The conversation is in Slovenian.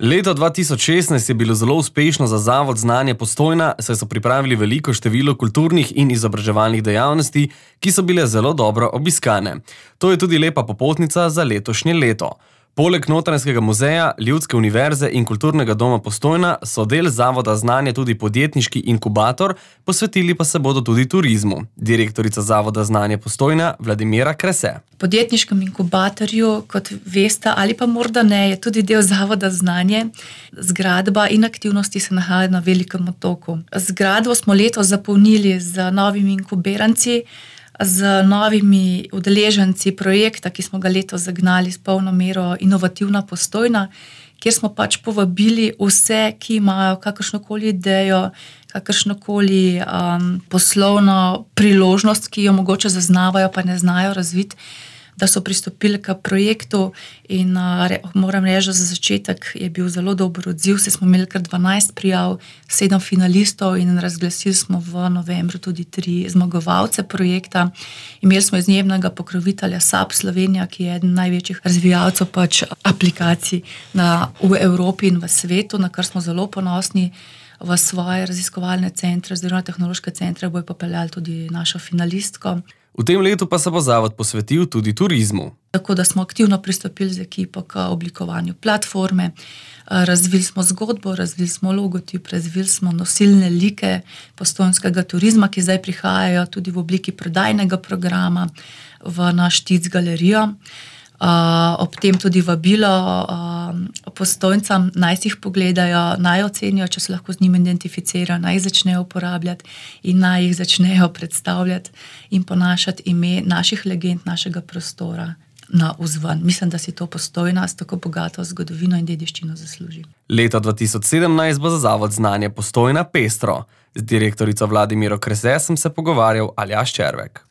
Leto 2016 je bilo zelo uspešno za Zavod Znanje Postojna, saj so pripravili veliko število kulturnih in izobraževalnih dejavnosti, ki so bile zelo dobro obiskane. To je tudi lepa popotnica za letošnje leto. Poleg Notranjskega muzeja, Ljudske univerze in Kulturnega doma Postojna so del Zavoda Znanje tudi podjetniški inkubator, posvetili pa se bodo tudi turizmu. Direktorica Zavoda Znanje Postojna Vladimira Krese. V podjetniškem inkubatorju, kot veste ali pa morda ne, je tudi del Zavoda Znanje. Zgradba in aktivnosti se nahajajo na Velikem otoku. Zgradbo smo letos zapolnili z novimi inkubiranci, z novimi udeleženci projekta, ki smo ga letos zagnali s polno mero Inovativna Postojna, kjer smo povabili vse, ki imajo kakršnokoli idejo, kakršnokoli poslovno priložnost, ki jo mogoče zaznavajo, pa ne znajo razviti, da so pristopili k projektu in moram reči, da za začetek je bil zelo dober odziv, saj smo imeli kar 12 prijav, 7 finalistov in razglasili smo v novembru tudi 3 zmagovalce projekta. Imeli smo izjemnega pokrovitelja SAP Slovenija, ki je eden največjih razvijalcev aplikacij v Evropi in v svetu, na kar smo zelo ponosni. V svoje raziskovalne centre oziroma tehnološke centre bojo popeljali tudi našo finalistko. V tem letu pa se bo zavod posvetil tudi turizmu. Tako da smo aktivno pristopili z ekipo k oblikovanju platforme, razvili smo zgodbo, razvili smo logotip, razvili smo nosilne like postojnskega turizma, ki zdaj prihajajo tudi v obliki prodajnega programa v naš TIC galerijo. Ob tem tudi vabilo Postojncem, naj si jih pogledajo, naj ocenijo, če se lahko z njim identificirajo, naj jih začnejo uporabljati in naj jih začnejo predstavljati in ponašati ime naših legend, našega prostora na vzven. Mislim, da si to Postojna s tako bogato zgodovino in dediščino zasluži. Leto 2017 bo za Zavod Znanje Postojna pestro. Z direktorico Vladimiro Krese sem se pogovarjal Aljaž Červek.